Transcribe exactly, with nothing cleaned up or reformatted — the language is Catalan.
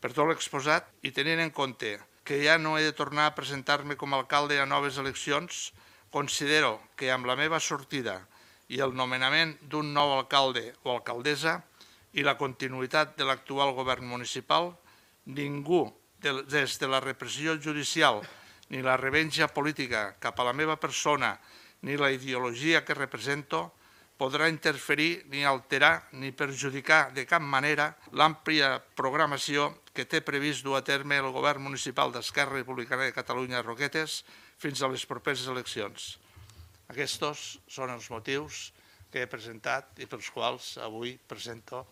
Per tot l'exposat i tenint en compte que ja no he de tornar a presentar-me com a alcalde a noves eleccions, considero que amb la meva sortida i el nomenament d'un nou alcalde o alcaldessa i la continuïtat de l'actual govern municipal, ningú, des de la repressió judicial ni la revenja política cap a la meva persona ni la ideologia que represento, podrà interferir ni alterar ni perjudicar de cap manera l'àmplia programació que té previst dur a terme el govern municipal d'Esquerra Republicana de Catalunya Roquetes fins a les properes eleccions. Aquests són els motius que he presentat i pels quals avui presento